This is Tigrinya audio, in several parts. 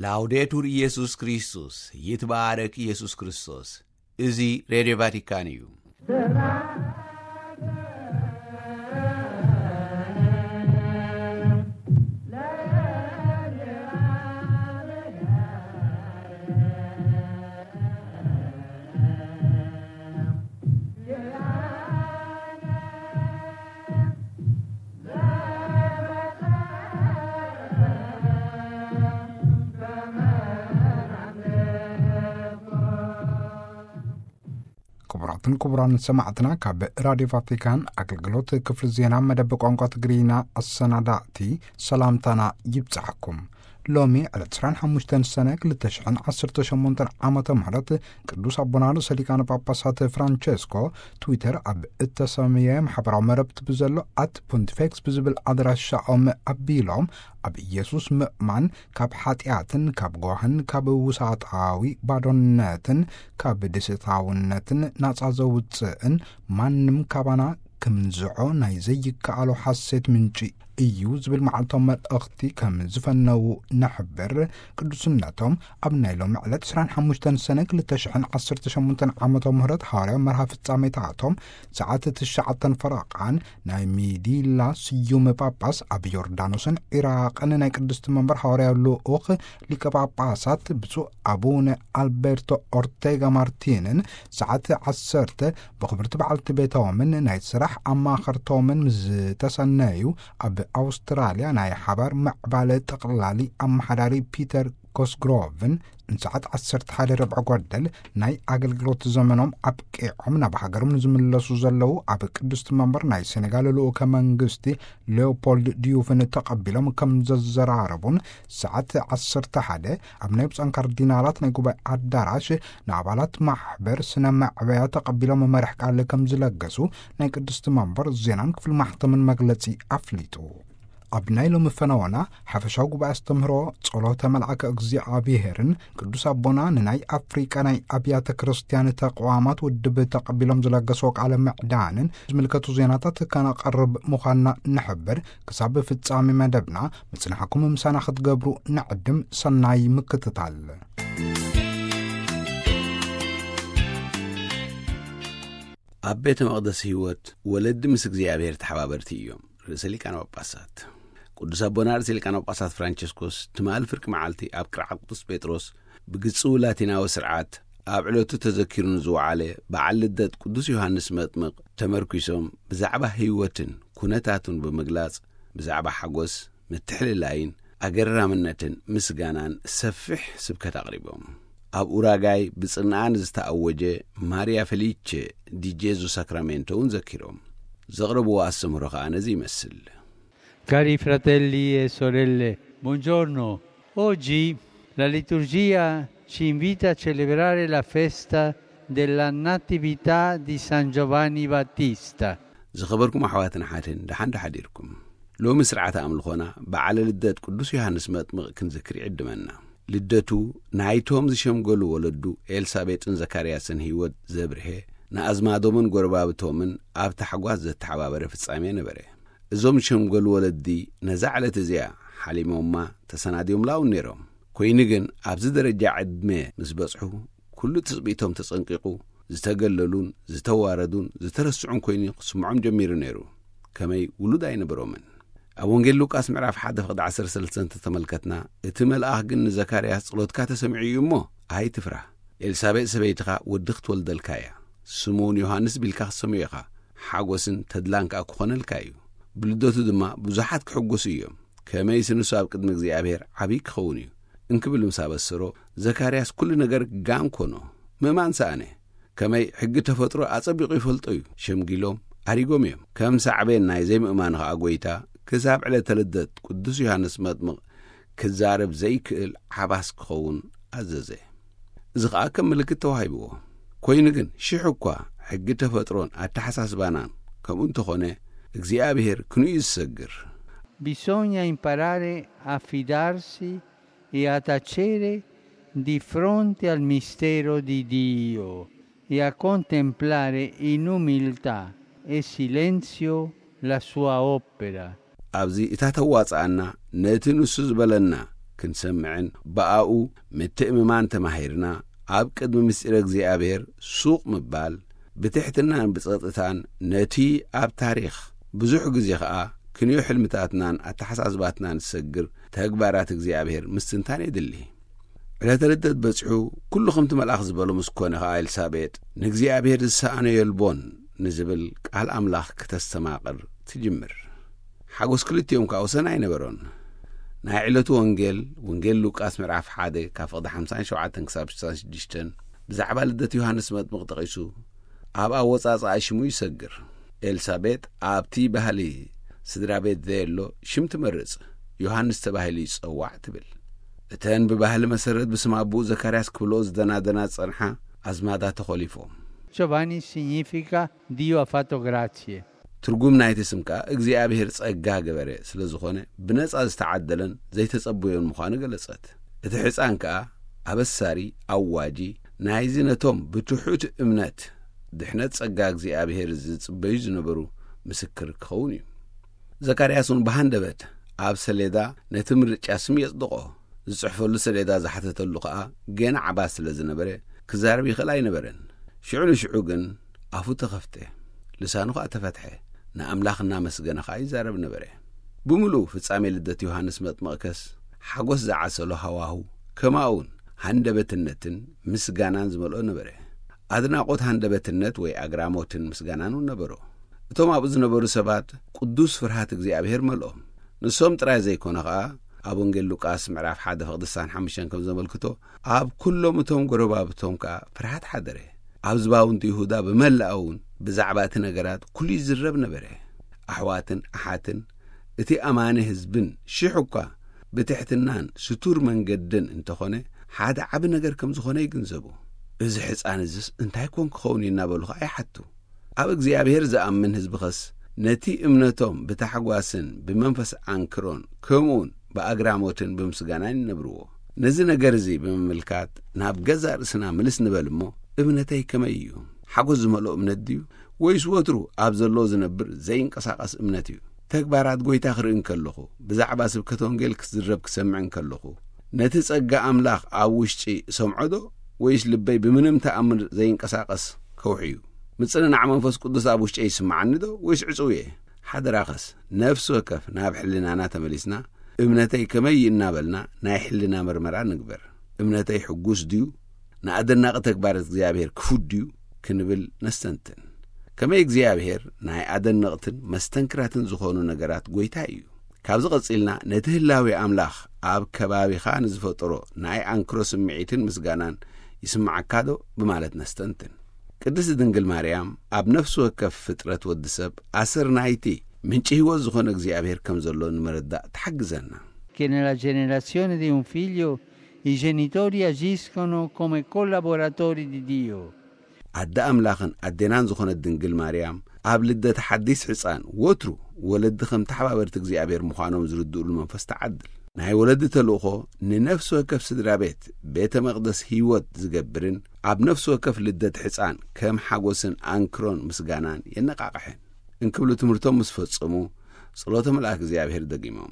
ላውዴቱር ኢየሱስ ክርስቶስ፣ ይትባረክ ኢየሱስ ክርስቶስ። እዚ ሬድዮ ቫቲካን እዩ። ክቡራትን ክቡራን ሰማዕትና፣ ካብ ራድዮ ቫቲካን ኣገልግሎት ክፍሊ ዜና መደብ ቋንቋ ትግርኛ ኣሰናዳእቲ ሰላምታና ይብጻሕኩም። ሎሚ ዕለት ዕስራን ሓሙሽተን ሰነ ክልተ ሽሕን ዓሰርተ ሸሞንተን ዓመተ ምህረት ቅዱስ ኣቦና ርእሰ ሊቃነ ጳጳሳት ፍራንቸስኮ ትዊተር ኣብ እተሰምየ ማሕበራዊ መረብቲ ብዘሎ ኣት ፖንቲፌክስ ብዝብል ኣድራሻኦም ኣቢሎም፣ ኣብ ኢየሱስ ምእማን ካብ ሓጢኣትን ካብ ጓህን ካብ ውሳጣዊ ባዶነትን ካብ ደሴታውነትን ናጻ ዘውጽእን ማንም ካባና ክምንዝዖ ናይ ዘይከኣሎ ሓሴት ምንጪ እዩ ዝብል መዓልታዊ መልእኽቲ ከም ዝፈነዉ ንሕብር። ቅዱስነቶም ኣብ ናይ ሎሚ ዕለት ዕስራን ሓሙሽተን ሰነ ክልተ ሽሕን ዓሰርተ ሸሞንተን ዓመተ ምህረት ሃዋርያዊ መርሃ ፍጻሜታቶም ሰዓት ትሽዓተን ፈረቓን ናይ ሚዲላ ስዩም ጳጳስ ኣብ ዮርዳኖስን ዒራቕን ናይ ቅድስቲ መንበር ሃዋርያዊ ልኡኽ ሊቀ ጳጳሳት ብፁዕ ኣቡነ ኣልቤርቶ ኦርቴጋ ማርቲንን ሰዓት ዓሰርተ ብኽብርቲ በዓልቲ ቤቶምን ናይ ስራሕ ኣማኸርቶምን ምስ ዝተሰነዩ፣ ኣብ ኣውስትራልያ ናይ ሓባር ምዕባለ ጠቕላሊ ኣመሓዳሪ ፒተር ኮስግሮቭን ንሰዓት ዓሰርተ ሓደ ርብዒ ጓደል ናይ ኣገልግሎት ዘመኖም ኣብቂዖም ናብ ሃገሮም ንዝምለሱ ዘለዉ ኣብ ቅድስቲ መንበር ናይ ሴኔጋል ልኡከ መንግስቲ ሌኦፖልድ ዲዩፍን ተቐቢሎም ከም ዘዘራረቡን፣ ሰዓት ዓሰርተ ሓደ ኣብ ናይ ብፁዓን ካርዲናላት ናይ ጉባኤ ኣዳራሽ ንኣባላት ማሕበር ስነ መዕበያ ተቐቢሎም መርሕ ቃል ከም ዝለገሱ ናይ ቅድስቲ መንበር ዜናን ክፍሊ ማሕተምን መግለጺ ኣፍሊጡ። ኣብ ናይ ሎሚ ፈነወና ሓፈሻዊ ጉባኤ ኣስተምህሮ ጸሎተ መልኣከ እግዚኣብሔርን ቅዱስ ኣቦና ንናይ ኣፍሪቃ ናይ ኣብያተ ክርስቲያን ተቋማት ውድብ ተቐቢሎም ዝለገስዎ ቃለ ምዕዳንን ዝምልከቱ ዜናታት ከነቐርብ ምዃንና ንሕብር። ክሳብ ፍጻሜ መደብና ምጽናሕኩም ምሳና ክትገብሩ ንዕድም። ሰናይ ምክትታል። ኣብ ቤተ መቕደስ ህይወት ወለዲ ምስ እግዚኣብሔር ተሓባበርቲ እዮም። ርእሰ ሊቃነ ጳጳሳት ቅዱስ ኣቦና ርእሰ ሊቃነ ጳጳሳት ፍራንቸስኮስ ትማሊ ፍርቂ መዓልቲ ኣብ ቅርዓት ቅዱስ ጴጥሮስ ብግጽዊ ላቲናዊ ስርዓት ኣብ ዕለቱ ተዘኪሩ ንዝወዓለ በዓል ልደት ቅዱስ ዮሃንስ መጥምቕ ተመርኲሶም ብዛዕባ ህይወትን ኩነታቱን ብምግላጽ ብዛዕባ ሓጎስ፣ ምትሕልላይን ኣገራምነትን ምስጋናን ሰፊሕ ስብከት ኣቕሪቦም። ኣብ ኡራጋይ ብጽንኣ ንዝተኣወጀ ማርያ ፌሊቼ ዲ ጄዙ ሳክራሜንቶ እውን ዘኪሮም። ዘቕረብዎ ኣስተምህሮ ከኣ ነዚ ይመስል። Cari fratelli e sorelle, buongiorno. Oggi la liturgia ci invita a celebrare la festa della Natività di San Giovanni Battista. ዝኸበርኩም ኣሕዋትን ሓትን፣ ደሓን ዶ ሓዲርኩም? ሎሚ ስርዓተ ኣምልኾና በዓለ ልደት ቅዱስ ዮሃንስ መጥምቕ ክንዝክር ይዕድመና። ልደቱ ናይቶም ዝሸምገሉ ወለዱ ኤልሳቤጥን ዘካርያስን ህይወት ዘብርሄ፣ ንኣዝማዶምን ጎረባብቶምን ኣብ ታሕጓስ ዘተሓባበረ ፍጻሜ ነበረ። እዞም ዝሸምገሉ ወለዲ ነዛ ዕለት እዚኣ ሓሊሞማ ተሰናድዮምላ እውን ነይሮም። ኮይኑ ግን ኣብዚ ደረጃ ዕድመ ምስ በጽሑ፣ ኩሉ ትጽቢቶም ተጸንቂቑ፣ ዝተገለሉን ዝተዋረዱን ዝተረስዑን ኮይኑ ክስምዖም ጀሚሩ ነይሩ። ከመይ ውሉድ ኣይነበሮምን። ኣብ ወንጌል ሉቃስ ምዕራፍ ሓደ ፍቕዲ ዓሰርተ ሰለስተ እንተተመልከትና፣ እቲ መልኣኽ ግን ንዘካርያስ፣ "ጸሎትካ ተሰሚዑ እዩ እሞ ኣይትፍራህ። ኤልሳቤጥ ሰበይትኻ ወዲ ክትወልደልካ እያ። ስሙ እውን ዮሃንስ ቢልካ ክትሰምዮ ኢኻ። ሓጎስን ተድላን ከኣ ክኾነልካ እዩ። ብልደቱ ድማ ብዙሓት ክሕጎሱ እዮም። ከመይሲ ንሱ ኣብ ቅድሚ እግዚኣብሔር ዓብዪ ክኸውን እዩ" እንክብል ምስ ኣበሰሮ፣ ዘካርያስ ኩሉ ነገር ጋን ኮኖ። ምእማን ሰኣነ። ከመይ ሕጊ ተፈጥሮ ኣጸቢቑ ይፈልጦ እዩ። ሸምጊሎም፣ ኣሪጎም እዮም። ከም ሳዕቤን ናይ ዘይምእማኑ ኸኣ ጐይታ ክሳብ ዕለተ ልደት ቅዱስ ዮሃንስ መጥምቕ ክዛረብ ዘይክእል ዓባስ ክኸውን ኣዘዘ። እዚ ኸኣ ከም ምልክት ተዋሂብዎ። ኮይኑ ግን ሽሕ እኳ ሕጊ ተፈጥሮን ኣተሓሳስባናን ከምኡ እንተኾነ፣ እግዚኣብሔር ክንኡ እዩ ዝሰግር። Bisogna imparare a fidarsi e a tacere di fronte al mistero di Dio e a contemplare in umiltà e silenzio la sua opera. ኣብዚ እታ ተዋጽኣና፣ ነቲ ንሱ ዝበለና ክንሰምዕን ብኣኡ ምትእምማን ተማሂርና፣ ኣብ ቅድሚ ምስጢረ እግዚኣብሔር ሱቕ ምባል፣ ብትሕትናን ብጸጥታን ነቲ ኣብ ታሪኽ ብዙሕ ግዜ ኸኣ ክንዮ ሕልምታትናን ኣተሓሳስባትናን ዝሰግር ተግባራት እግዚኣብሔር ምስትንታን የድሊ። ዕለተ ልደት በጺሑ፣ ኩሉ ከምቲ መልኣኽ ዝበሎ ምስ ኮነ ኸኣ፣ ኤልሳቤጥ "ንእግዚኣብሔር ዝሰኣኖ የልቦን" ንዝብል ቃል ኣምላኽ ክተስተማቕር ትጅምር። ሓጎስ ክልቲኦም ከኣ ወሰን ኣይነበሮን። ናይ ዕለቱ ወንጌል፣ ወንጌል ሉቃስ ምዕራፍ ሓደ ካብ ፍቕዲ ሓምሳን ሸውዓተን ክሳብ ሽዱሽተን ብዛዕባ ልደት ዮሃንስ መጥምቕ ጠቒሱ፣ ኣብ ኣወጻጽኣ ሽሙ ይሰግር። ኤልሳቤጥ ኣብቲ ባህሊ ስድራ ቤት ዘየሎ ሽም ትመርጽ፣ ዮሃንስ ተባሂሉ ይጸዋዕ ትብል። እተን ብባህሊ መሰረት ብስም ኣቦኡ ዘካርያስ ክብልኦ ዝደናደና ዝጸንሓ ኣዝማዳ ተኾሊፎም። Giovanni significa Dio ha fatto grazie። ትርጉም ናይቲ ስም ከኣ እግዚኣብሔር ጸጋ ገበረ ስለ ዝኾነ፣ ብነጻ ዝተዓደለን ዘይተጸበዮን ምዃኑ ገለጸት። እቲ ሕጻን ከኣ ኣበሳሪ፣ ኣዋጂ ናይዚ ነቶም ብትሑት እምነት ድሕነት ጸጋ እግዚኣብሔር ዝጽበዩ ዝነበሩ ምስክር ክኸውን እዩ። ዘካርያስ እውን ብሃንደበት ኣብ ሰሌዳ ነቲ ምርጫ ስም የጽድቖ። ዝጽሕፈሉ ሰሌዳ ዝሓተተሉ ኸኣ ገና ዓባስ ስለ ዝነበረ፣ ክዛረብ ይኽእል ኣይነበረን። ሽዑ ንሽዑ ግን ኣፉ ተኸፍተ፣ ልሳኑ ኸኣ ተፈትሐ፣ ንኣምላኽ እናመስገነ ኸኣ ይዛረብ ነበረ። ብምሉኡ ፍጻሜ ልደት ዮሃንስ መጥምቕከስ ሓጎስ ዝዓሰሎ ሃዋሁ፣ ከማኡውን ሃንደበትነትን ምስጋናን ዝመልኦ ነበረ። ኣድናቖት፣ ሃንደበትነት ወይ ኣግራሞትን ምስጋናን እውን ነበሮ። እቶም ኣብኡ ዝነበሩ ሰባት ቅዱስ ፍርሃት እግዚኣብሔር መልኦም። ንሶም ጥራይ ዘይኮነ ኸኣ፣ ኣብ ወንጌል ሉቃስ ምዕራፍ ሓደ ፍቕዲ ስሳን ሓሙሽተን ከም ዘመልክቶ፣ ኣብ ኩሎም እቶም ጎረባብቶም ከኣ ፍርሃት ሓደረ። ኣብ ዝባውንቲ ይሁዳ ብመላኣ እውን ብዛዕባ እቲ ነገራት ኩሉ ይዝረብ ነበረ። ኣሕዋትን ኣሓትን እቲ ኣማኒ ህዝብን ሽሕ እኳ ብትሕትናን ስቱር መንገድን እንተኾነ፣ ሓደ ዓቢ ነገር ከም ዝኾነ ይግንዘቡ። "እዚ ሕጻን እዝስ እንታይ ኮን ክኸውን እዩ?" እናበሉ ኸኣ ይሓቱ። ኣብ እግዚኣብሔር ዝኣምን ህዝቢ ኸስ፣ ነቲ እምነቶም ብታሕጓስን ብመንፈስ ኣንክሮን ከምኡውን ብኣግራሞትን ብምስጋናን ይነብርዎ። ነዚ ነገር እዚ ብምምልካት፣ ናብ ገዛእ ርእስና ምልስ ንበል እሞ፣ እምነተይ ከመይ እዩ? ሓጎስ ዝመልኦ እምነት ድዩ? ወይስ ወትሩ ኣብ ዘሎ ዝነብር ዘይንቀሳቐስ እምነት እዩ? ተግባራት ጐይታ ክርኢ እንከለኹ፣ ብዛዕባ ስብከተ ወንጌል ክዝረብ ክሰምዕ እንከለኹ፣ ነቲ ጸጋ ኣምላኽ ኣብ ውሽጢ እሰምዖ ዶ? ወይስ ልበይ ብምንም ተኣምር ዘይንቀሳቐስ ከውሒ እዩ? ምጽንናዕ መንፈስ ቅዱስ ኣብ ውሽጠይ ይስምዓኒ ዶ? ወይስ ዕጹው እየ? ሓደራኸስ፣ ነፍሲ ወከፍ ናብ ሕልናና ተመሊስና፣ እምነተይ ከመይ እዩ እናበልና ናይ ሕልና መርመራ ንግበር። እምነተይ ሕጉስ ድዩ? ንኣደናቒ ተግባራት እግዚኣብሔር ክፉት ድዩ? ክንብል ነስተንትን። ከመይ እግዚኣብሔር ናይ ኣደነቕትን መስተንክራትን ዝኾኑ ነገራት ጐይታ እዩ። ካብዚ ቐጺልና ነቲ ህላዌ ኣምላኽ ኣብ ከባቢኻ ንዝፈጠሮ ናይ ኣንክሮ ስምዒትን ምስጋናን ይስምዓካ ዶ? ብማለት ነስተንትን። ቅድስቲ ድንግል ማርያም ኣብ ነፍሲ ወከፍ ፍጥረት ወዲ ሰብ ኣሰር ናይቲ ምንጪ ህይወት ዝኾነ እግዚኣብሔር ከም ዘሎ ንምርዳእ ትሓግዘና። Che nella generazione di un figlio i genitori agiscono come collaboratori di Dio። ኣደ ኣምላኽን ኣዴናን ዝኾነት ድንግል ማርያም ኣብ ልደት ሓዲስ ሕፃን ወትሩ ወለዲ ከም ተሓባበርቲ እግዚኣብሔር ምዃኖም ዝርድኡሉ መንፈስ ትዓድል። ናይ ወለዲ ተልእኾ ንነፍሲ ወከፍ ስድራ ቤት ቤተ መቕደስ ህይወት ዝገብርን ኣብ ነፍሲ ወከፍ ልደት ሕፃን ከም ሓጎስን ኣንክሮን ምስጋናን የነቓቕሕን። እንክብሉ ትምህርቶም ምስ ፈጸሙ፣ ጸሎተ መልኣክ እግዚኣብሔር ደጊሞም።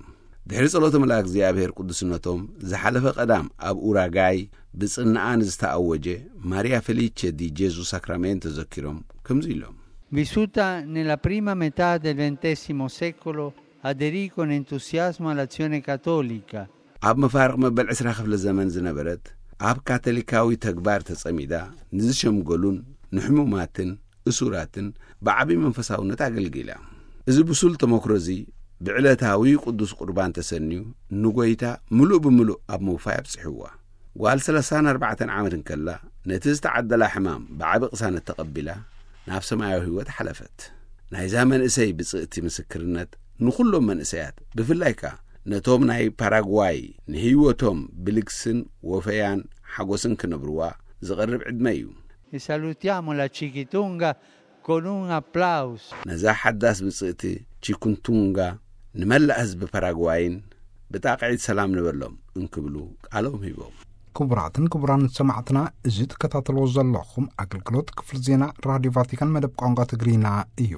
ድሕሪ ጸሎተ መልኣክ እግዚኣብሔር ቅዱስነቶም፣ ዝሓለፈ ቀዳም ኣብ ኡራጋይ ብጽንዓ ንዝተኣወጀ ማርያ ፌሊቼ ዲ ጄዙ ሳክራሜንቶ ዘኪሮም ከምዚ ኢሎም። Vissuta nella prima metà del ventesimo secolo, aderì con entusiasmo all'Azione Cattolica። ኣብ መፋርቕ መበል ዕስራ ክፍለ ዘመን ዝነበረት፣ ኣብ ካቶሊካዊ ተግባር ተጸሚዳ፣ ንዝሸምገሉን ንሕሙማትን እሱራትን ብዓቢ መንፈሳውነት ኣገልጊላ። እዚ ብሱል ተመክሮ እዚ ብዕለታዊ ቅዱስ ቁርባን ተሰንዩ ንጎይታ ምሉእ ብምሉእ ኣብ ምውፋይ ኣብጺሕዋ። ጓል ሰላሳን ኣርባዕተን ዓመት እንከላ ነቲ ዝተዓደላ ሕማም ብዓቢ ቅሳነት ተቐቢላ ናብ ሰማያዊ ህይወት ሓለፈት። ናይዛ መንእሰይ ብጽእቲ ምስክርነት ንኹሎም መንእሰያት ብፍላይ ከኣ ነቶም ናይ ፓራጓይ ንህይወቶም ብልግስን ወፈያን ሓጎስን ክነብርዋ ዝቐርብ ዕድመ እዩ። E salutiamo la Chiquitunga con un applauso። ነዛ ሓዳስ ብጽእቲ ቺኩንቱንጋ ንመላእ ህዝቢ ፓራጓይን ብጣቕዒት ሰላም ንበሎም እንክብሉ ቃሎም ሂቦም። ክቡራትን ክቡራን ሰማዕትና፣ እዚ ትከታተልዎ ዘለኹም ኣገልግሎት ክፍሊ ዜና ራድዮ ቫቲካን መደብ ቋንቋ ትግርኛ እዩ።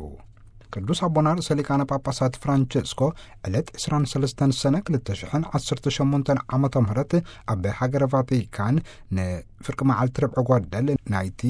ቅዱስ ኣቦና ርእሰ ሊቃነ ጳጳሳት ፍራንቸስኮ ዕለት ዕስራን ሰለስተን ሰነ ክልተ ሽሕን ዓሰርተ ሸሞንተን ዓመተ ምህረት ኣብ ሃገረ ቫቲካን ንፍርቂ መዓልቲ ርብዒ ጓደል ናይቲ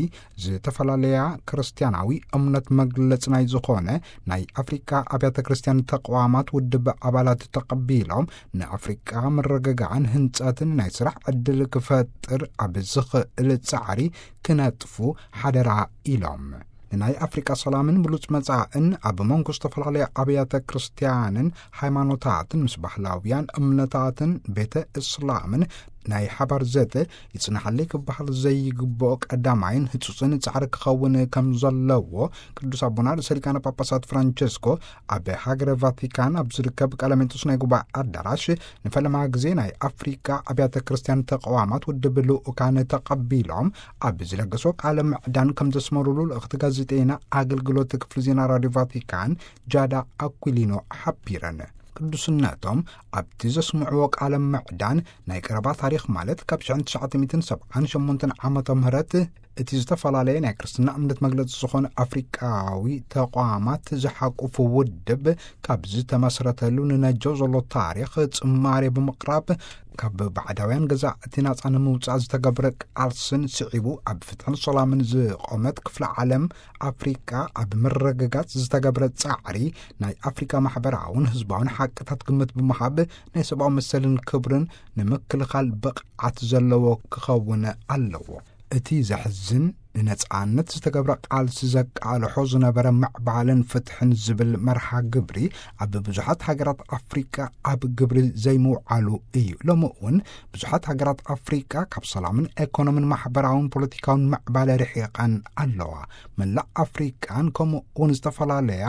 ዝተፈላለያ ክርስትያናዊ እምነት መግለጽ ናይ ዝኾነ ናይ ኣፍሪቃ ኣብያተ ክርስትያን ተቋማት ውድብ ኣባላት ተቐቢሎም ንኣፍሪቃ ምርግጋዕን ህንጸትን ናይ ስራሕ ዕድል ክፈጥር ኣብ ዝኽእል ጻዕሪ ክነጥፉ ሓደራ ኢሎም። ንናይ ኣፍሪቃ ሰላምን ብሉጽ መጻእን ኣብ መንጎ ዝተፈላለያ ኣብያተ ክርስትያንን ሃይማኖታትን ምስ ባህላውያን እምነታትን ቤተ እስላምን ናይ ሓባር ዘተ ይጽናሓለይ ክበሃል ዘይግብኦ ቀዳማይን ህጹጽን ጻዕሪ ክኸውን ከም ዘለዎ ቅዱስ ኣቦና ርእሰ ሊቃነ ጳጳሳት ፍራንቸስኮ ኣብ ሃገረ ቫቲካን ኣብ ዝርከብ ቀለሜንጦስ ናይ ጉባኤ ኣዳራሽ ንፈለማ ግዜ ናይ ኣፍሪቃ ኣብያተ ክርስትያን ተቃዋማት ውድብ ልኡካን ተቐቢሎም ኣብ ዝለገሶ ቃለ ምዕዳን ከም ዘስመሩሉ ልእኽቲ ጋዜጠይና ኣገልግሎት ክፍሊ ዜና ራድዮ ቫቲካን ጃዳ ኣኩሊኖ ሓቢረን። ቅዱስነቶም ኣብቲ ዘስምዕዎ ቃለ ምዕዳን ናይ ቀረባ ታሪኽ ማለት ካብ ሽሕን ትሽዓተ ሚእትን ሰብዓን ሸሞንተን ዓመተ ምህረት እቲ ዝተፈላለየ ናይ ክርስትና እምነት መግለጺ ዝኾነ ኣፍሪቃዊ ተቋማት ዝሓቁፉ ውድብ ካብ ዝተመስረተሉ ንነጀው ዘሎ ታሪኽ ጽማሬ ብምቕራብ ካብ ባዕዳውያን ገዛእቲ ናጻ ንምውጻእ ዝተገብረ ቃልስን ስዒቡ ኣብ ፍትሕን ሰላምን ዝቆመት ክፍለ ዓለም ኣፍሪቃ ኣብ ምርግጋጽ ዝተገብረ ጻዕሪ ናይ ኣፍሪቃ ማሕበራውን ህዝባውን ሓቅታት ግምት ብምሃብ ናይ ሰብኣዊ መሰልን ክብርን ንምክልኻል ብቕዓት ዘለዎ ክኸውን ኣለዎ። እቲ ዘሕዝን ንነጻነት ዝተገብረ ቃልሲ ዘቃልሖ ዝነበረ ምዕባለን ፍትሕን ዝብል መርሃ ግብሪ ኣብ ብዙሓት ሃገራት ኣፍሪቃ ኣብ ግብሪ ዘይምውዓሉ እዩ። ሎሚ እውን ብዙሓት ሃገራት ኣፍሪቃ ካብ ሰላምን ኤኮኖምን ማሕበራውን ፖለቲካውን ምዕባለ ርሒቐን ኣለዋ። መላእ ኣፍሪቃን ከምኡ እውን ዝተፈላለያ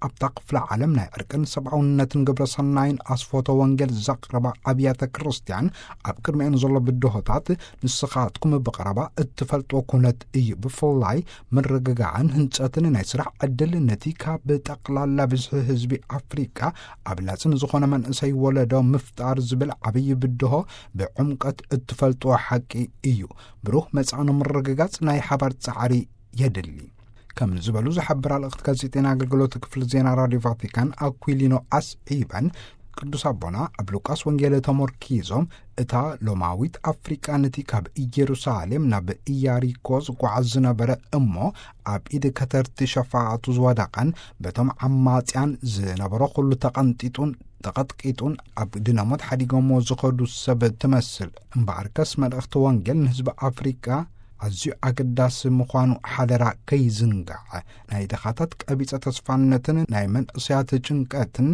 ኣብታ ክፍለ ዓለም ናይ ዕርቅን ሰብኣውነትን ግብረ ሰናይን ኣስፎቶ ወንጌል ዘቕረባ ኣብያተ ክርስትያን ኣብ ቅድሚአን ዘሎ ብድሆታት ንስኻትኩም ብቐረባ እትፈልጥዎ ኩነት እዩ። ብፍላይ ምርግጋዕን ህንጸትን ናይ ስራሕ ዕድል ነቲ ካብ ጠቕላላ ብዝሒ ህዝቢ ኣፍሪቃ ኣብ ላጽን ዝኾነ መንእሰይ ወለዶ ምፍጣር ዝብል ዓብዪ ብድሆ ብዕምቀት እትፈልጥዎ ሓቂ እዩ። ብሩህ መጻኢ ንምርግጋጽ ናይ ሓባር ጻዕሪ የድሊ። ከም ዝበሉ ዝሓብራ ልእኽቲ ጋዜጠና ኣገልግሎት ክፍሊ ዜና ራድዮ ቫቲካን ኣኩሊኖ ኣስዒበን ቅዱስ ኣቦና ኣብ ሉቃስ ወንጌል ተሞርኪዞም እታ ሎማዊት ኣፍሪቃ ነቲ ካብ ኢየሩሳሌም ናብ ኢያሪኮ ዝጓዓዝ ዝነበረ እሞ ኣብ ኢድ ከተርቲ ሸፋቱ ዝወደቐን በቶም ዓማጽያን ዝነበሮ ኩሉ ተቐንጢጡን ተቐጥቂጡን ኣብ ድነሞት ሓዲጎሞ ዝኸዱ ሰብ ትመስል። እምበኣርከስ መልእኽቲ ወንጌል ንህዝቢ ኣፍሪቃ ኣዝዩ ኣገዳሲ ምዃኑ ሓደራ ከይዝንጋዕ። ናይ ድኻታት ቀቢጸ ተስፋነትን ናይ መንእሰያት ጭንቀትን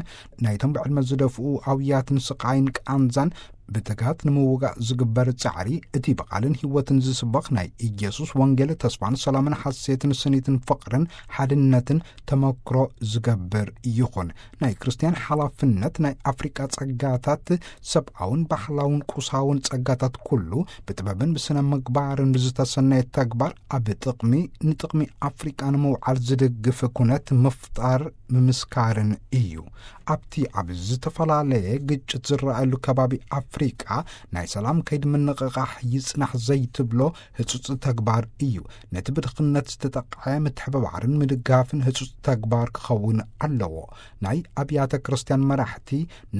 ናይቶም ብዕድመ ዝደፍኡ ኣውያትን ስቓይን ቃንዛን ብትግሃት ንምውጋእ ዝግበር ጻዕሪ እቲ ብቓልን ህይወትን ዝስበኽ ናይ ኢየሱስ ወንጌል ተስፋን ሰላምን ሓሴትን ስኒትን ፍቕርን ሓድነትን ተመክሮ ዝገብር ይኹን። ናይ ክርስትያን ሓላፍነት ናይ ኣፍሪቃ ጸጋታት ሰብኣውን ባህላውን ቁሳውን ጸጋታት ኩሉ ብጥበብን ብስነ ምግባርን ብዝተሰነየ ተግባር ኣብ ጥቕሚ ንጥቕሚ ኣፍሪቃ ንምውዓል ዝድግፍ ኩነት ምፍጣር ምምስካርን እዩ። ኣብቲ ኣብ ዝተፈላለየ ግጭት ዝረኣየሉ ከባቢ ኣፍሪቃ ናይ ሰላም ከይዲ ምንቕቓሕ ይጽናሕ ዘይትብሎ ህጹጽ ተግባር እዩ። ነቲ ብድኽነት ዝተጠቕዐ ምትሕብባርን ምድጋፍን ህጹጽ ተግባር ክኸውን ኣለዎ። ናይ ኣብያተ ክርስትያን መራሕቲ፣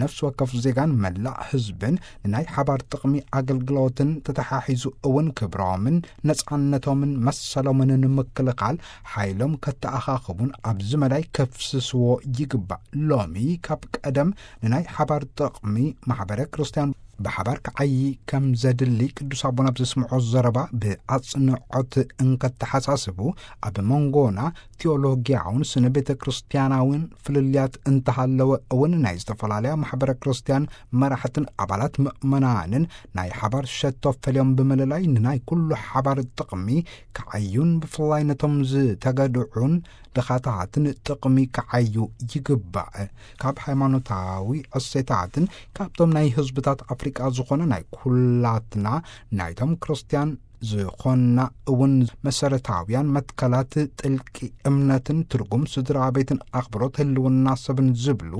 ነፍሲ ወከፍ ዜጋን መላእ ህዝብን ንናይ ሓባር ጥቕሚ ኣገልግሎትን ተተሓሒዙ እውን ክብሮምን ነጻነቶምን መሰሎምን ንምክልኻል ሓይሎም ከተኣኻኽቡን ኣብዚ መዳይ ከፍስስዎ ይግባእ። ሎሚ ካብ ቀደም ንናይ ሓባር ጥቕሚ ማሕበረ ክርስትያን ብሓባር ክዓዪ ከም ዘድሊ ቅዱስ ኣቦና ኣብ ዘስምዖ ዘረባ ብኣጽንዖት እንከተሓሳስቡ፣ ኣብ መንጎና ቴዎሎጊያውን ስነ ቤተ ክርስትያናውን ፍልልያት እንተሃለወ እውን ናይ ዝተፈላለያ ማሕበረ ክርስትያን መራሕትን ኣባላት ምእመናንን ናይ ሓባር ሸቶ ፈልዮም ብምልላይ ንናይ ኩሉ ሓባር ጥቕሚ ክዓዩን ብፍላይ ነቶም ዝተገድዑን ድኻታትን ጥቕሚ ክዓዩ ይግባእ። ካብ ሃይማኖታዊ እሴታትን ካብቶም ናይ ህዝብታት ኣፍሪቃ ዝኾነ ናይ ኩላትና ናይቶም ክርስትያን ዝኾና እውን መሰረታውያን መትከላት ጥልቂ እምነትን ትርጉም ስድራ ቤትን ኣኽብሮት ህልውና ሰብን ዝብሉ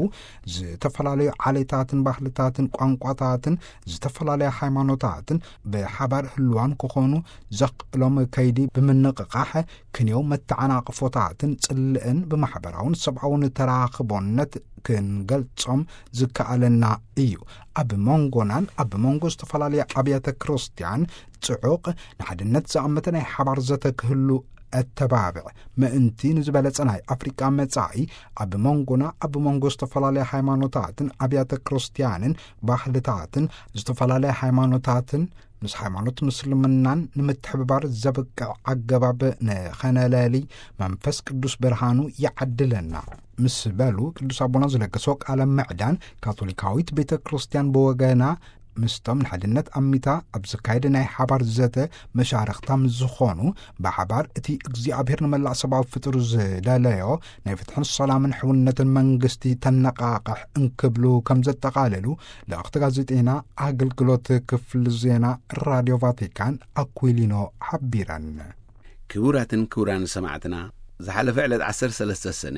ዝተፈላለዩ ዓሌታትን ባህልታትን ቋንቋታትን ዝተፈላለያ ሃይማኖታትን ብሓባር ህልዋን ክኾኑ ዘኽእሎም ከይዲ ብምንቕቓሕ ክንየው መተዓናቕፎታትን ጽልእን ብማሕበራውን ሰብኣውን ተራኽቦነት ክንገልጾም ዝከኣለና እዩ። ኣብ መንጎናን ኣብ መንጎ ዝተፈላለያ ኣብያተ ክርስቲያን ጽዑቕ ንሓድነት ዝኣመተ ናይ ሓባር ዘተ ክህሉ እተባብዕ ምእንቲ ንዝበለጸ ናይ ኣፍሪቃ መጻኢ ኣብ መንጎና ኣብ መንጎ ዝተፈላለያ ሃይማኖታትን ኣብያተ ክርስቲያንን ባህልታትን ዝተፈላለያ ሃይማኖታትን ምስ ሃይማኖት ምስልምናን ንምትሕብባር ዘብቅዕ ኣገባብ ንኸነለሊ መንፈስ ቅዱስ ብርሃኑ ይዓድለና ምስ በሉ ቅዱስ ኣቦና ዝለገሶ ቃለ ምዕዳን ካቶሊካዊት ቤተ ክርስቲያን ብወገና ምስቶም ንሓድነት ኣሚታ ኣብ ዝካየደ ናይ ሓባር ዘተ መሻርኽታ ምስ ዝኾኑ ብሓባር እቲ እግዚኣብሔር ንመላእ ሰብኣዊ ፍጡር ዝደለዮ ናይ ፍትሕን ሰላምን ሕውነትን መንግስቲ ተነቃቕሕ እንክብሉ ከም ዘጠቓለሉ ልእኽቲ ጋዜጠና ኣገልግሎት ክፍሊ ዜና ራድዮ ቫቲካን ኣኩሊኖ ሓቢረን። ክቡራትን ክቡራን ሰማዕትና፣ ዝሓለፈ ዕለት ዓሰርተ ሰለስተ ሰነ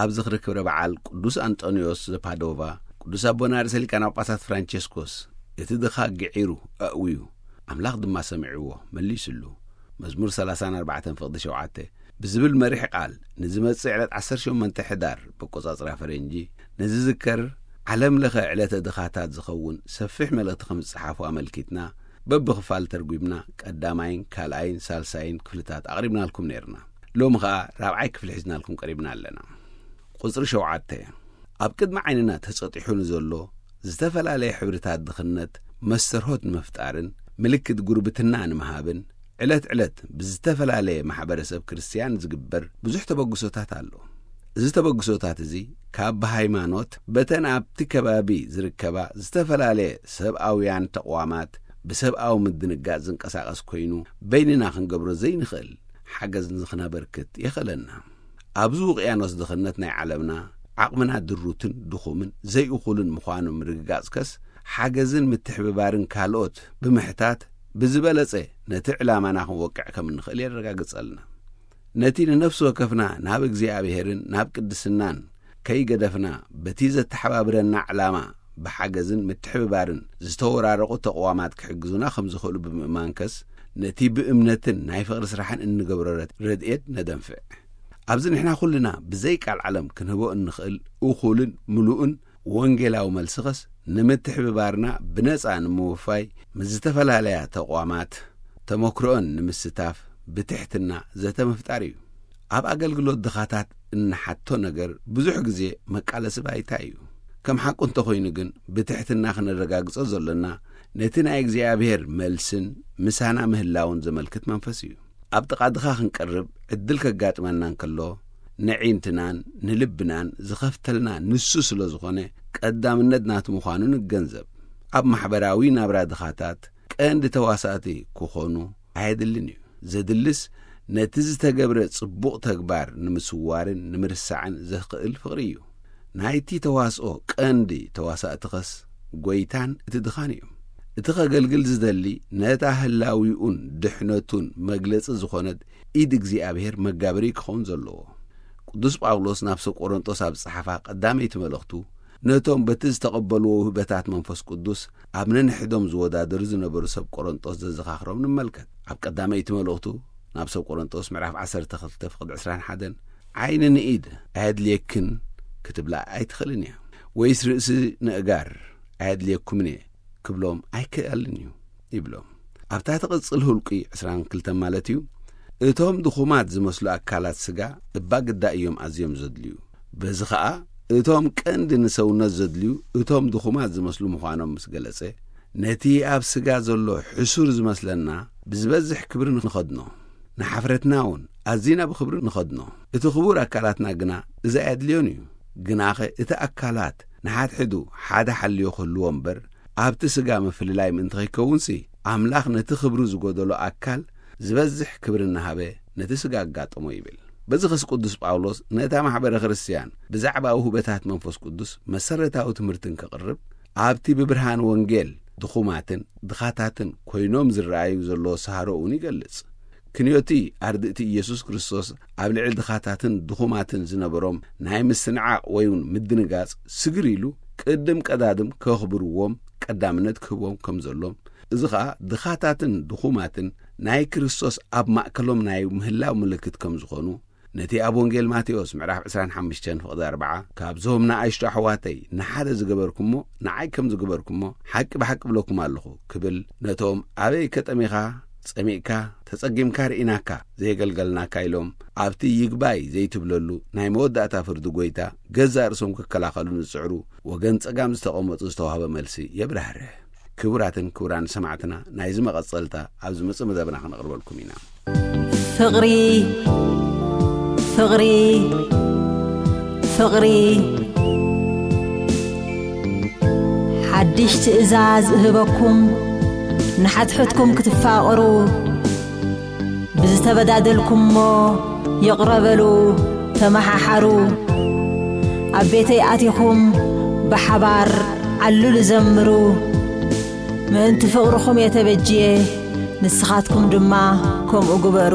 ኣብ ዝኽሪ ክብረ በዓል ቅዱስ ኣንጦንዮስ ዘፓዶቫ፣ ቅዱስ ኣቦና ርእሰ ሊቃነ ጳጳሳት ፍራንቸስኮስ፣ "እቲ ድኻ ግዒሩ ኣእውዩ፣ ኣምላኽ ድማ ሰሚዕዎ፣ መሊሱሉ፣ መዝሙር ሰላሳን ኣርባዕተን ፍቕዲ ሸውዓተ" ብዝብል መሪሕ ቃል ንዝመጽእ ዕለት ዓሰርተ ሸሞንተ ሕዳር በቆጻጽራ ፈረንጂ ንዝዝከር ዓለም ለኸ ዕለተ ድኻታት ዝኸውን ሰፊሕ መልእኽቲ ከም ዝጸሓፉ ኣመልኪትና፣ በብኽፋል ተርጒምና ቀዳማይን ካልኣይን ሳልሳይን ክፍልታት ኣቕሪብናልኩም ነይርና። ሎሚ ኸኣ ራብዓይ ክፍሊ ሒዝናልኩም ቀሪብና ኣለና። ቁጽሪ ሸውዓተ፣ ኣብ ቅድሚ ዓይንና ተጸጢሑ ንዘሎ ዝተፈላለየ ሕብርታት ድኽነት መስተርሆት ንምፍጣርን ምልክት ጉርብትና ንምሃብን ዕለት ዕለት ብዝተፈላለየ ማሕበረሰብ ክርስትያን ዝግበር ብዙሕ ተበግሶታት ኣሎ። እዚ ተበግሶታት እዚ ካብ ብሃይማኖት በተን ኣብቲ ከባቢ ዝርከባ ዝተፈላለየ ሰብኣውያን ተቕዋማት ብሰብኣዊ ምድንጋጽ ዝንቀሳቐስ ኮይኑ በይንና ክንገብሮ ዘይንኽእል ሓገዝ ንኽነበርክት የኽእለና። ኣብዚ ውቅያኖስ ድኽነት ናይ ዓለምና ዓቕምና ድሩትን ድኹምን ዘይእኹልን ምዃኑ ምርግጋጽከስ ሓገዝን ምትሕብባርን ካልኦት ብምሕታት ብዝበለጸ ነቲ ዕላማና ክንወቅዕ ከም እንኽእል የረጋግጸልና። ነቲ ንነፍሲ ወከፍና ናብ እግዚኣብሔርን ናብ ቅድስናን ከይገደፍና በቲ ዘተሓባብረና ዕላማ ብሓገዝን ምትሕብባርን ዝተወራረቑ ተቕዋማት ክሕግዙና ከም ዝኽእሉ ብምእማንከስ ነቲ ብእምነትን ናይ ፍቕሪ ስራሕን እንገብሮ ረድ-፣ ረድኤት ነደንፍዕ። ኣብዚ ንሕና ኩልና ብዘይ ቃል ዓለም ክንህቦ እንኽእል እኹልን ምሉእን ወንጌላዊ መልስኸስ ንምትሕብባርና ብነጻ ንምውፋይ ምስ ዝተፈላለያ ተቋማት ተመክሮኦን ንምስታፍ ብትሕትና ዘተ ምፍጣር እዩ። ኣብ ኣገልግሎት ድኻታት እንሓቶ ነገር ብዙሕ ግዜ መቃለሲ ባይታ እዩ። ከም ሓቁ እንተኾይኑ ግን ብትሕትና ክነረጋግጾ ዘሎና ነቲ ናይ እግዚኣብሔር መልስን ምሳና ምህላውን ዘመልክት መንፈስ እዩ። ኣብ ጥቓ ድኻ ክንቀርብ ዕድል ከጋጥመና እንከሎ ንዒንትናን ንልብናን ዝኸፍተልና ንሱ ስለ ዝኾነ ቀዳምነት ናቱ ምዃኑ ንገንዘብ። ኣብ ማሕበራዊ ናብራ ድኻታት ቀንዲ ተዋሳእቲ ክኾኑ ኣየድልን እዩ። ዘድልስ ነቲ ዝተገብረ ጽቡቕ ተግባር ንምስዋርን ንምርሳዕን ዘኽእል ፍቕሪ እዩ። ናይቲ ተዋስኦ ቀንዲ ተዋሳእትኸስ ጐይታን እቲ ድኻን እዮም። እቲ ኸገልግል ዝደሊ ነታ ህላዊኡን ድሕነቱን መግለጺ ዝኾነት ኢድ እግዚኣብሔር መጋበሪ ክኸውን ዘለዎ። ቅዱስ ጳውሎስ ናብ ሰብ ቆሮንጦስ ኣብ ዝጸሓፋ ቀዳመይቲ መልእኽቱ ነቶም በቲ ዝተቐበልዎ ውህበታት መንፈስ ቅዱስ ኣብ ነንሕዶም ዝወዳደሩ ዝነበሩ ሰብ ቆሮንጦስ ዘዘኻኽሮም ንመልከት። ኣብ ቀዳመይቲ መልእኽቱ ናብ ሰብ ቆሮንጦስ ምዕራፍ ዓሰርተ ክልተ ፍቕዲ ዕስራን ሓደን ዓይኒ ንኢድ ኣየድልየክን ክትብላ ኣይትኽእልን እያ፣ ወይስ ርእሲ ንእጋር ኣየድልየኩምን እየ ክብሎም ኣይክኣልን እዩ ይብሎም። ኣብታ ትቕጽል ሁልቂ ዕስራን ክልተን ማለት እዩ፣ እቶም ድኹማት ዝመስሉ ኣካላት ስጋ እባ ግዳ እዮም ኣዝዮም ዘድልዩ። በዚ ኸኣ እቶም ቀንዲ ንሰውነት ዘድልዩ እቶም ድኹማት ዝመስሉ ምዃኖም ምስ ገለጸ፣ ነቲ ኣብ ስጋ ዘሎ ሕሱር ዝመስለና ብዝበዝሕ ክብሪ ንኸድኖ፣ ንሓፍረትና እውን ኣዚና ብኽብሪ ንኸድኖ። እቲ ክቡር ኣካላትና ግና እዚ ኣየድልዮን እዩ። ግናኸ እቲ ኣካላት ንሓድሕዱ ሓደ ሓልዮ ክህልዎ እምበር፣ ኣብቲ ስጋ ምፍልላይ ምእንቲ ኸይከውንሲ፣ ኣምላኽ ነቲ ክብሩ ዝጎደሎ ኣካል ዝበዝሕ ክብሪ እናሃበ ነቲ ስጋ ኣጋጠሞ ይብል። በዚ ኸስ ቅዱስ ጳውሎስ ነታ ማሕበረ ክርስትያን ብዛዕባ ውህበታት መንፈስ ቅዱስ መሰረታዊ ትምህርቲ እንክቕርብ፣ ኣብቲ ብብርሃን ወንጌል ድኹማትን ድኻታትን ኮይኖም ዝረኣዩ ዘለዎ ሳህሮ እውን ይገልጽ። ክንዮቲ ኣርድእቲ ኢየሱስ ክርስቶስ ኣብ ልዕሊ ድኻታትን ድኹማትን ዝነበሮም ናይ ምስንዓቕ ወይ እውን ምድንጋጽ ስግር ኢሉ ቅድም ቀዳድም ከኽብርዎም ቀዳምነት ክህቦም ከም ዘሎም፣ እዚ ኸኣ ድኻታትን ድኹማትን ናይ ክርስቶስ ኣብ ማእከሎም ናይ ምህላው ምልክት ከም ዝኾኑ፣ ነቲ ኣብ ወንጌል ማቴዎስ ምዕራፍ ዕስራን ሓሙሽተን ፍቕዲ ኣርብዓ፣ "ካብዞም ንኣሽቱ ኣሕዋተይ ንሓደ ዝገበርኩሞ፣ ንዓይ ከም ዝገበርኩሞ፣ ሓቂ ብሓቂ እብለኩም ኣለኹ" ክብል፣ ነቶም ኣበይ ከጠሚኻ፣ ጸሚእካ፣ ተጸጊምካ ርኢናካ፣ ዘየገልገልናካ ኢሎም፣ ኣብቲ ይግባይ ዘይትብለሉ ናይ መወዳእታ ፍርዲ ጐይታ፣ ገዛእ ርእሶም ክከላኸሉ ንዝጽዕሩ ወገን ጸጋም ዝተቐመጡ ዝተዋህበ መልሲ የብራህርህ። ክቡራትን ክቡራን ሰማዕትና፣ ናይዚ መቐጸልታ ኣብ ዝመጽእ መደብና ክነቕርበልኩም ኢና። ፍቕሪ፣ ፍቕሪ፣ ፍቕሪ። ሓድሽ ትእዛዝ እህበኩም፣ ንሓትሕትኩም ክትፋቐሩ፣ ብዝተበዳደልኩሞ ይቕረ በሉ፣ ተመሓሓሩ። ኣብ ቤተይ ኣቲኹም ብሓባር ዓልሉ ዘምሩ። ምእንቲ ፍቕርኹም እየ ተበጅየ፣ ንስኻትኩም ድማ ከምኡ ግበሩ።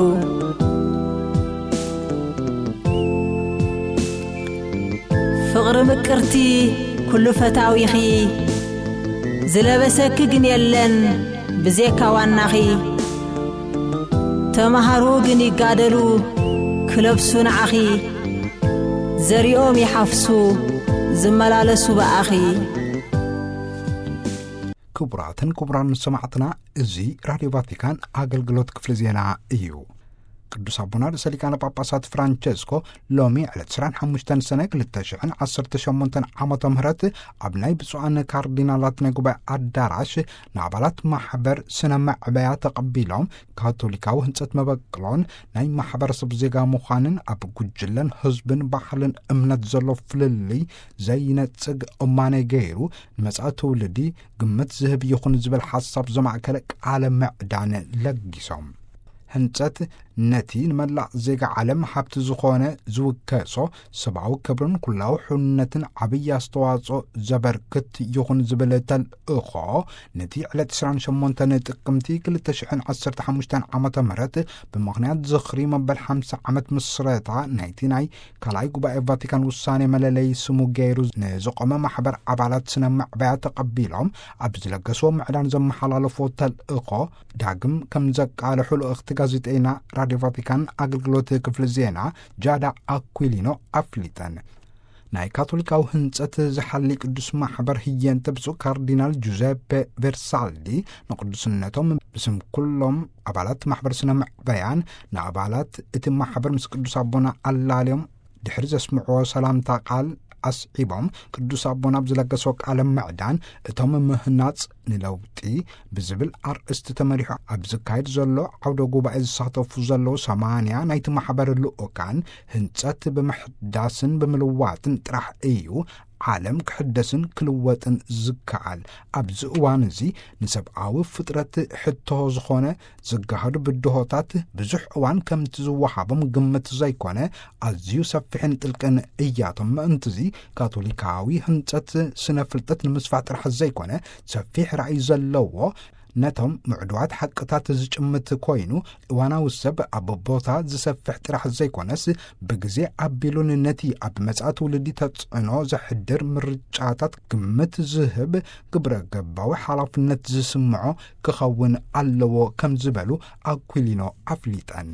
ፍቕሪ ምቅርቲ ኩሉ ፈታዊኺ፣ ዝለበሰኪ ግን የለን ብዜካ ዋናኺ። ተማሃሩ ግን ይጋደሉ ክለብሱ ንዓኺ፣ ዘሪኦም ይሓፍሱ ዝመላለሱ ብኣኺ። ክቡራትን ክቡራን ሰማዕትና፣ እዚ ራድዮ ቫቲካን ኣገልግሎት ክፍሊ ዜና እዩ። ቅዱስ ኣቦና ርእሰ ሊቃነ ጳጳሳት ፍራንቸስኮ ሎሚ ዕለት ዕስራን ሓሙሽተን ሰነ ክልተ ሽሕን ዓሰርተ ሸሞንተን ዓመተ ምህረት ኣብ ናይ ብፁዓን ካርዲናላት ናይ ጉባኤ ኣዳራሽ ንኣባላት ማሕበር ስነ መዕበያ ተቐቢሎም፣ ካቶሊካዊ ህንጸት መበቅሎን ናይ ማሕበረሰብ ዜጋ ምዃንን ኣብ ጉጅለን ህዝብን ባህልን እምነት ዘሎ ፍልልይ ዘይነጽግ እማነ ገይሩ፣ ንመጻኢ ትውልዲ ግምት ዝህብ ይኹን ዝብል ሓሳብ ዘማእከለ ቃለ ምዕዳን ለጊሶም። ህንጸት ነቲ ንመላእ ዜጋ ዓለም ሃብቲ ዝኾነ ዝውከሶ ሰብኣዊ ክብርን ኩላዊ ሕውነትን ዓብዪ ኣስተዋጽኦ ዘበርክት ይኹን ዝብል ተልእኾ፣ ነቲ ዕለት ዕስራን ሸሞንተን ጥቅምቲ ክልተ ሽሕን ዓሰርተ ሓሙሽተን ዓመተ ምህረት ብምኽንያት ዝኽሪ መበል ሓምሳ ዓመት ምስረታ ናይቲ ናይ ካልኣይ ጉባኤ ቫቲካን ውሳኔ መለለዪ ስሙ ገይሩ ንዝቖመ ማሕበር ኣባላት ስነ መዕበያ ተቐቢሎም ኣብ ዝለገስዎ ምዕዳን ዘመሓላለፎ ተልእኾ ዳግም ከም ዘቃልሑ ልእኽቲ ጋዜጠይና ራድዮ ቫቲካን ኣገልግሎት ክፍሊ ዜና ጃዳ ኣኩሊኖ ኣፍሊጠን። ናይ ካቶሊካዊ ህንጸት ዝሓሊ ቅዱስ ማሕበር ህየንተ ብፁዕ ካርዲናል ጁዘፔ ቬርሳልዲ ንቅዱስነቶም ብስም ኩሎም ኣባላት ማሕበር ስነ መዕበያን ንኣባላት እቲ ማሕበር ምስ ቅዱስ ኣቦና ኣላልዮም ድሕሪ ዘስምዕዎ ሰላምታ ቃል ኣስዒቦም፣ ቅዱስ ኣቦና ኣብ ዝለገሶ ቃለ ምዕዳን፣ እቶም ምህናጽ ንለውጢ ብዝብል ኣርእስቲ ተመሪሑ ኣብ ዝካየድ ዘሎ ዓውደ ጉባኤ ዝሳተፉ ዘለዉ ሰማንያ ናይቲ ማሕበር ልኡካን፣ ህንጸት ብምሕዳስን ብምልዋጥን ጥራሕ እዩ ዓለም ክሕደስን ክልወጥን ዝከኣል። ኣብዚ እዋን እዚ ንሰብኣዊ ፍጥረት ሕቶ ዝኾነ ዝገሃዱ ብድሆታት ብዙሕ እዋን ከምቲ ዝወሃቦም ግምት ዘይኮነ፣ ኣዝዩ ሰፊሕን ጥልቅን እያቶም። ምእንትዚ ካቶሊካዊ ህንጸት ስነ ፍልጠት ንምስፋሕ ጥራሕ ዘይኮነ፣ ሰፊሕ ራእይ ዘለዎ፣ ነቶም ምዕዱዋት ሓቅታት ዝጭምት ኮይኑ፣ እዋናዊ ሰብ ኣብ ቦታ ዝሰፍሕ ጥራሕ ዘይኮነስ፣ ብግዜ ኣቢሉን ነቲ ኣብ መጻኢ ትውልዲ ተጽዕኖ ዘሕድር ምርጫታት ግምት ዝህብ ግብረ ገባዊ ሓላፍነት ዝስምዖ ክኸውን ኣለዎ ከም ዝበሉ ኣኩሊኖ ኣፍሊጠን።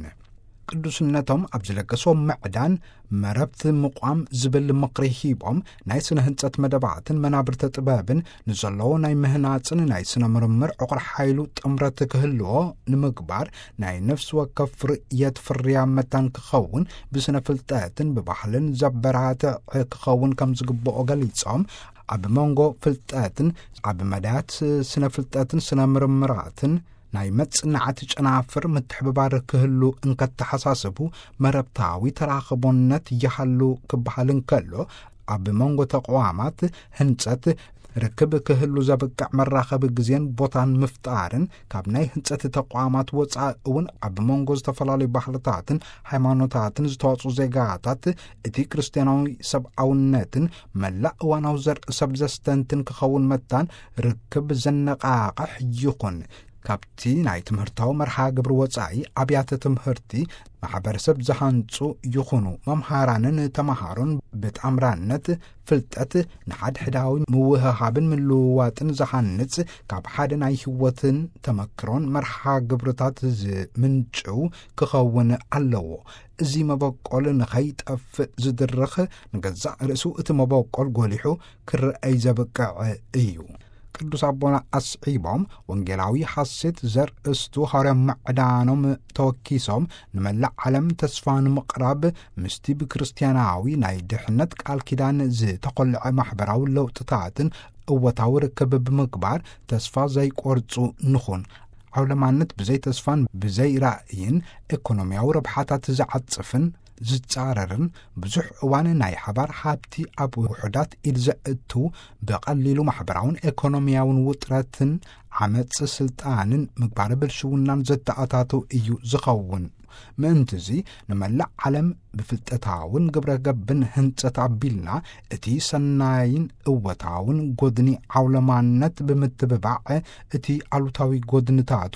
ቅዱስነቶም ኣብ ዝለገስዎ ምዕዳን መረብቲ ምቋም ዝብል ምኽሪ ሂቦም፣ ናይ ስነ ህንጸት መደባትን መናብርተ ጥበብን ንዘለዎ ናይ ምህናጽን ናይ ስነ ምርምር ዕቑር ሓይሉ ጥምረት ክህልዎ ንምግባር ናይ ነፍሲ ወከፍ ርእየት ፍርያ መታን ክኸውን ብስነ ፍልጠትን ብባህልን ዘበራትዕ ክኸውን ከም ዝግብኦ ገሊጾም፣ ኣብ መንጎ ፍልጠትን ኣብ መዳያት ስነ ፍልጠትን ስነ ምርምራትን ናይ መጽናዕቲ ጨናፍር ምትሕብባር ክህሉ እንከተሓሳስቡ፣ መረብታዊ ተራኽቦነት ይሃሉ ክበሃል እንከሎ፣ ኣብ መንጎ ተቋማት ህንጸት ርክብ ክህሉ ዘብቅዕ መራኸቢ ግዜን ቦታን ምፍጣርን፣ ካብ ናይ ህንጸት ተቋማት ወጻኢ እውን ኣብ መንጎ ዝተፈላለዩ ባህልታትን ሃይማኖታትን ዝተዋጽኡ ዜጋታት፣ እቲ ክርስትያናዊ ሰብኣውነትን መላእ እዋናዊ ዘርኢ ሰብ ዘስተንትን ክኸውን መታን ርክብ ዘነቓቕሕ ይኹን። ካብቲ ናይ ትምህርታዊ መርሃ ግብሪ ወጻኢ፣ ኣብያተ ትምህርቲ ማሕበረሰብ ዝሃንጹ ይኹኑ፣ መምሃራንን ተማሃሮን ብጣምራነት ፍልጠት ንሓድሕዳዊ ምውህሃብን ምልውዋጥን ዝሃንጽ፣ ካብ ሓደ ናይ ህይወትን ተመክሮን መርሃ ግብርታት ዝምንጭው ክኸውን ኣለዎ። እዚ መበቆል ንኸይጠፍእ ዝድርኽ፣ ንገዛእ ርእሱ እቲ መበቆል ጎሊሑ ክረኣይ ዘብቅዕ እዩ። ቅዱስ ኣቦና ኣስዒቦም፣ ወንጌላዊ ሓሴት ዘርእስቱ ሃዋርያ ምዕዳኖም ተወኪሶም፣ ንመላእ ዓለም ተስፋ ንምቕራብ፣ ምስቲ ብክርስትያናዊ ናይ ድሕነት ቃል ኪዳን ዝተኾልዐ ማሕበራዊ ለውጥታትን እወታዊ ርክብ ብምግባር፣ ተስፋ ዘይቆርጹ ንኹን። ዓውለማነት ብዘይ ተስፋን ብዘይ ራእይን፣ ኤኮኖሚያዊ ረብሓታት ዝዓጽፍን ዝጻረርን፣ ብዙሕ እዋን ናይ ሓባር ሃብቲ ኣብ ውሑዳት ኢድ ዘእቱ፣ ብቐሊሉ ማሕበራውን ኤኮኖሚያውን ውጥረትን ዓመጽ ስልጣንን ምግባረ ብልሽውናን ዘተኣታቱ እዩ ዝኸውን። ምእንትዚ፣ ንመላእ ዓለም ብፍልጠታውን ግብረ ገብን ህንጸት ኣቢልና፣ እቲ ሰናይን እወታውን ጎድኒ ዓውለማነት ብምትብባዕ፣ እቲ ኣሉታዊ ጎድንታቱ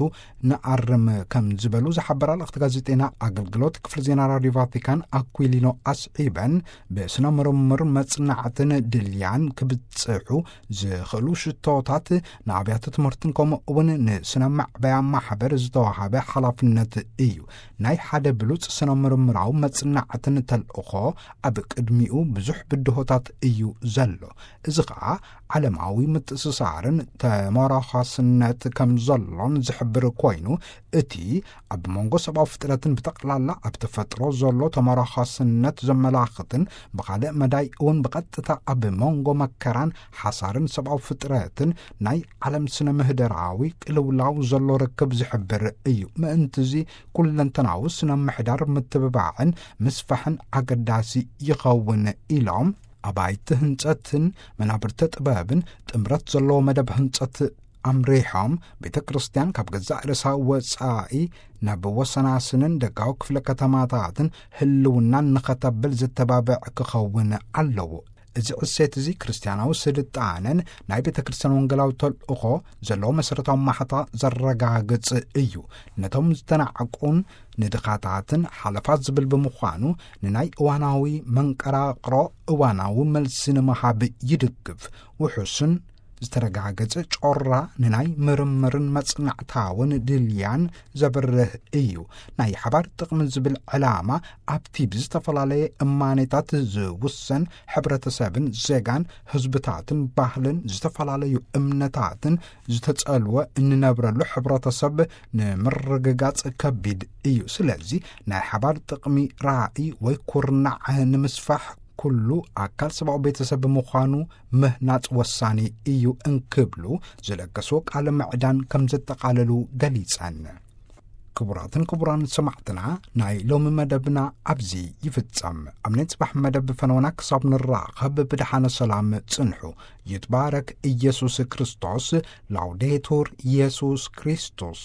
ንኣርም ከም ዝበሉ ዝሓበራ ልእኽቲ ጋዜጠና ኣገልግሎት ክፍሊ ዜና ራድዮ ቫቲካን ኣኩሊኖ ኣስዒበን፣ ብስነ ምርምር መጽናዕትን ድልያን ክብጽሑ ዝኽእሉ ሽቶታት ንኣብያተ ትምህርትን ከምኡ እውን ንስነ መዕበያ ማሕበር ዝተዋሃበ ሓላፍነት እዩ። ናይ ሓደ ብሉጽ ስነ ምርምራዊ መጽናዕትን ተልእኾ ኣብ ቅድሚኡ ብዙሕ ብድሆታት እዩ ዘሎ። እዚ ኸኣ ዓለማዊ ምትእስሳርን ተመራኻስነት ከም ዘሎን ዝሕብር ኮይኑ፣ እቲ ኣብ መንጎ ሰብኣዊ ፍጥረትን ብጠቕላላ ኣብ ተፈጥሮ ዘሎ ተመራኻስነት ዘመላኽትን፣ ብኻልእ መዳይ እውን ብቐጥታ ኣብ መንጎ መከራን ሓሳርን ሰብኣዊ ፍጥረትን ናይ ዓለም ስነ ምህዳራዊ ቅልውላው ዘሎ ርክብ ዝሕብር እዩ። ምእንትዚ ኩለንተናዊ ስነ ምሕዳር ምትብባዕን ምስፋሕን ኣገዳሲ ይኸውን ኢሎም፣ ኣባይቲ ህንጸትን መናብርተ ጥበብን ጥምረት ዘለዎ መደብ ህንጸት ኣምሪሖም፣ ቤተ ክርስቲያን ካብ ገዛእ ርእሳ ወጻኢ ናብ ወሰናስንን ደጋዊ ክፍለ ከተማታትን ህልውናን ንኸተብል ዘተባብዕ ክኸውን ኣለዎ። እዚ ዕሴት እዚ ክርስትያናዊ ስልጣነን ናይ ቤተ ክርስቲያን ወንጌላዊ ተልእኾ ዘለዎ መሰረታዊ ማሕታ ዘረጋግጽ እዩ። ነቶም ዝተናዕቁን ንድኻታትን ሓለፋት ዝብል ብምዃኑ፣ ንናይ እዋናዊ መንቀራቕሮ እዋናዊ መልሲ ንምሃብ ይድግፍ። ውሑስን ዝተረጋገጸ ጮራ ንናይ ምርምርን መጽናዕታውን ድልያን ዘብርህ እዩ። ናይ ሓባር ጥቕሚ ዝብል ዕላማ ኣብቲ ብዝተፈላለየ እማኔታት ዝውሰን ሕብረተሰብን ዜጋን ህዝብታትን ባህልን ዝተፈላለዩ እምነታትን ዝተጸልወ እንነብረሉ ሕብረተሰብ ንምርግጋጽ ከቢድ እዩ። ስለዚ ናይ ሓባር ጥቕሚ ራእይ ወይ ኩርናዕ ንምስፋሕ ኩሉ ኣካል ሰብኣዊ ቤተሰብ ብምዃኑ ምህናጽ ወሳኒ እዩ እንክብሉ ዝለገስዎ ቃለ ምዕዳን ከም ዘጠቓለሉ ገሊጸን። ክቡራትን ክቡራን ሰማዕትና፣ ናይ ሎሚ መደብና ኣብዚ ይፍጸም። ኣብ ናይ ጽባሕ መደብ ፈነወና ክሳብ ንራኸብ ብደሓነ ሰላም ጽንሑ። ይትባረክ ኢየሱስ ክርስቶስ። ላውዴቱር ኢየሱስ ክርስቶስ።